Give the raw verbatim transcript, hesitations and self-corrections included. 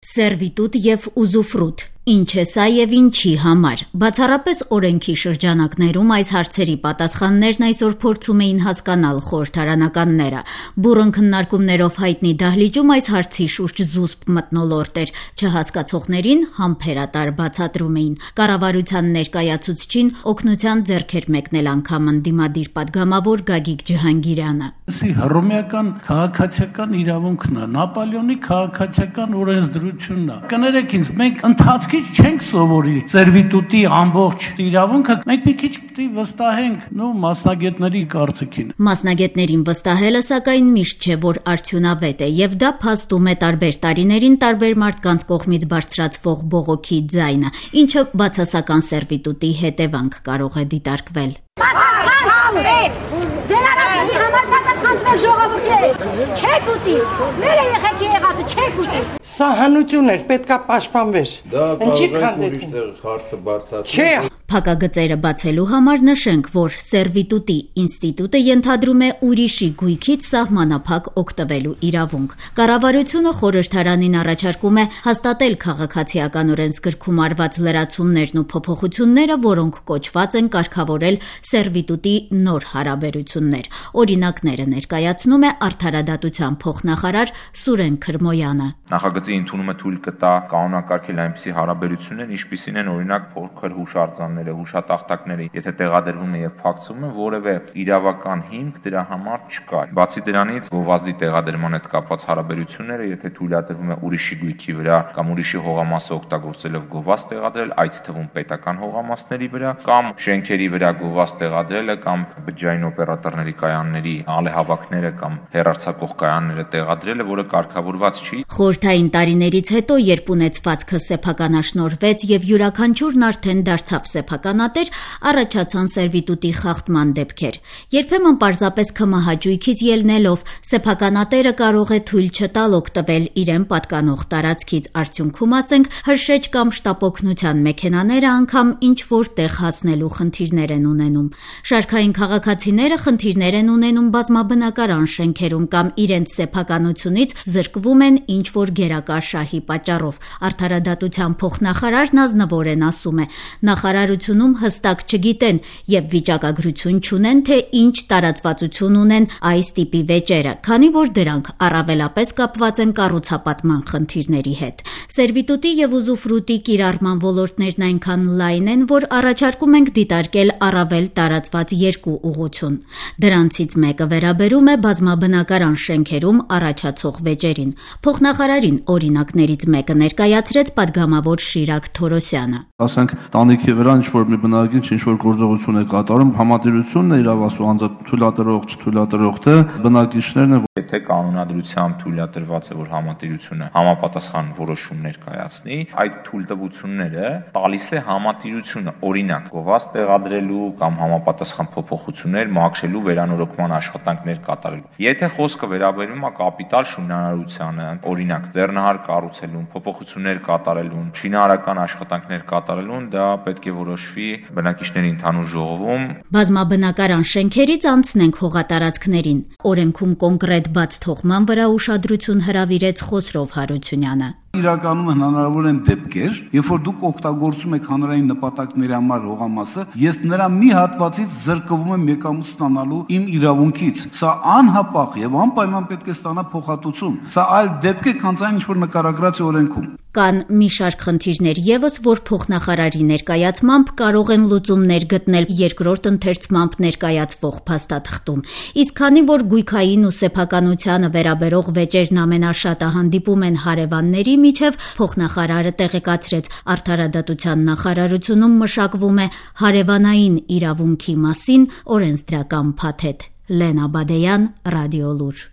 Սերվիտուտ և ուզուֆրուտ. ինչ է սա և ինչի համար։ Բացառապես օրենքի շրջանակներում այս հարցերի պատասխաններն այսօր փորձում էին հասկանալ խորհրդարանականները։ Բուռն քննարկումներով հայտնի դահլիճում այս հարցի շուրջ զուսպ մթնոլորտ էր, չհասկացողներին համբերատար բացատրում էին։ Կառավարության ներկայացուցչին օգնության ձեռք էր մեկնել անգամ ընդդիմադիր պատգամավոր Գագիկ Ջհանգիրյանը։ Հռոմեական քաղաքացիական իրավունքն է, Նապոլեոնի քաղաքացիական օրենսդրությունն է։ Կներեք ինձ, մենք ընթացքից չենք սովորի սերվիտուտի ամբողջ իրավունքը, մենք մի քիչ պետք է վստահենք նո մասնագետների կարծիքին։ Մասնագետներին վստահելը սակայն միշտ չէ, որ արդյունավետ է, եւ դա փաստում է տարբեր տարիներին տարբեր մարդկանց կողմից բարձրացվող բողոքի ձայնը, ինչը բացասական սերվիտուտի հետևանք կարող է դիտարկվել։ Ձեր արածների համար պատասխանվել ժողովրդի չեք ուտի, մեր երեխեքի եղածը չեք ուտի։ Սա հանություն էր, պետքա պաշտպանվեր։ Ինչի քանդեցին։ Հարցը բարձրացնում։ Փակագծերը բացելու համար նշենք, որ սերվիտուտի ինստիտուտը ենթադրում է ուրիշի գույքից սահմանափակ օգտվելու իրավունք։ Կառավարությունը խորհրդարանին առաջարկում է հաստատել քաղաքացիական օրենսգրքում արված լրացումներն ու փոփոխությունները, որոնք կոչված են կարգավորել սերվիտուտի նոր հարաբերություններ։ Օրինակները ներկայացնում է Արդարադատության փոխնախարար Սուրեն Քրմոյանը։ Նախագծի ընդունումը թույլ կտա կանոնակարգել այնպիսի հարաբերություններ, ինչպիսին են օրինակ փոքր հուշարձանները, հուշատախտակները, եթե տեղադրվում է եւ փակցվում է, որևէ իրավական հիմք դրա համար չկա։ Բացի դրանից, գովազդի տեղադրման հետ կապված հարաբերությունները, եթե թույլատրվում է ուրիշի գույքի վրա կամ ուրիշի հողամասը օգտագործելով գովազդ տեղադրել, այդ թվում պետական հողամասների վրա կամ շենքերի վրա գովազդ տեղադրելը կամ բջջային օպերատորների կայանների ալեհավաքները կամ հեռարձակող կայանները տեղադրելը, որը կարգավորված չի։ Խորհրդային տարիներից հետո, երբ ունեցվածքը սեփականաշնորհվեց եւ յուրաքանչյուրն արդեն դարձավ սեփականատեր, առաջացան սերվիտուտի խախտման դեպքեր։ Երբեմն պարզապես քմահաճույքից ելնելով սեփականատերը կարող է թույլ չտալ օգտվել իրեն պատկանող տարածքից, արդյունքում ասենք հրշեջ կամ շտապօգնության մեքենաները անգամ ինչ որ տեղ հասնելու խնդիրներ են ունենում։ Շարքային քաղաքացիները խնդիրներ են ունենում բազմաբնակարան շենքերում կամ իրենց սեփականությունից զրկվում են ինչ որ գերակա շահի պատճառով։ Արդարադատության փոխնախարարն ազնվորեն ասում է. նախարարությունում հստակ չգիտեն եւ վիճակագրություն չունեն, թե ինչ տարածվածություն ունեն այս տիպի վեճերը, քանի որ դրանք առավելապես կապված են կառուցապատման խնդիրների հետ։ Սերվիտուտի եւ ուզուֆրուտի կիրառման ոլորտներն այնքան լայն են, որ առաջարկում ենք դիտարկել առավել տարածված երկու ուղղություն։ Դրանցից մեկը վերաբերում է բազմաբնակարան շենքերում առաջացող վեճերին։ Փոխնախարարին օրինակներից մեկը ներկայացրեց պատգամավոր Շիրակ Թորոսյանը։ Ասենք տանիքի վրա ինչ որ մի բնակիչ ինչ որ գործողություն է կատարում, համատիրությունն է իրավասու անձը թույլատրող, չթույլատրող թե բնակիչներն են։ Եթե կանոնադրությամբ թույլատրված է, որ համատիրությունը համապատասխան որոշում ներկայացնի, այդ թույլտվությունները տալիս է համատիրությունը, օրինակ, գովազդ տեղադրելու կամ համապատասխան փոփոխություններ մաքրելու վերանորոգման աշխատանքներ կատարելու։ Եթե խոսքը վերաբերում է կապիտալ շինարարությանը, օրինակ, ձեռնահար կառուցելուն, փոփոխություններ կատարելուն, շինարարական աշխատանքներ կատարելուն, դա պետք է որոշվի բնակիչների ընդհանուր ժողովում։ Բազմաբնակարան շենքերից անցնենք հողատարածքներին։ Օրենքում կոնկրետ բաց թողման վրա ուշադրություն հրավիրեց Խոսրով Հարությունյանը։ Իրականում հնարավոր են դեպքեր, երբ որ դուք օգտագործում եք հանրային նպատակների համար հողամասը, ես նրա մի հատվածից զրկվում եմ եկամուտ ստանալու իմ իրավունքից։ Սա անհապաղ եւ անպայման պետք է ստանա փոխհատուցում։ Սա այլ դեպք է, քան այն, ինչ որ նկարագրած է օրենքում։ Կան մի շարք խնդիրներ եւս, որ փոխնախարարի ներկայացմամբ կարող են լուծումներ գտնել երկրորդ ընթերցմամբ ներկայացվող փաստաթղթում։ Իսկ քանի որ գույքային ու սեփականությանը վերաբերող վեճերն ամենաշատը հանդիպում են հարևանների միջև, փոխնախարարը տեղեկացրեց Արդարադատության նախարարությունում մշակվում է հարևանային իրավունքի մասին օրենսդրական փաթեթ։ Լենա Բադեյան, Ռադիոլուր։